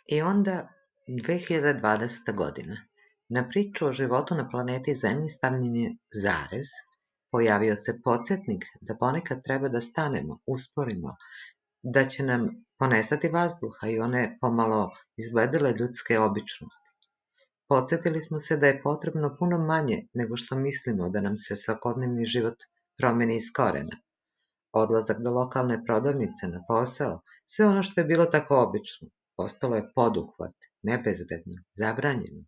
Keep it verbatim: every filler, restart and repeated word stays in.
I onda, dve hiljade dvadeseta. godina. Na priču o životu na planeti Zemlji stavljen je zarez, pojavio se podsjetnik da ponekad treba da stanemo, usporimo, da će nam ponestati vazduha i one pomalo izgledale ljudske običnosti. Podsjetili smo se da je potrebno puno manje nego što mislimo da nam se svakodnevni život promeni iz korena. Odlazak do lokalne prodavnice, na posao, sve ono što je bilo tako obično, postalo je poduhvat, nebezbedno, zabranjeno.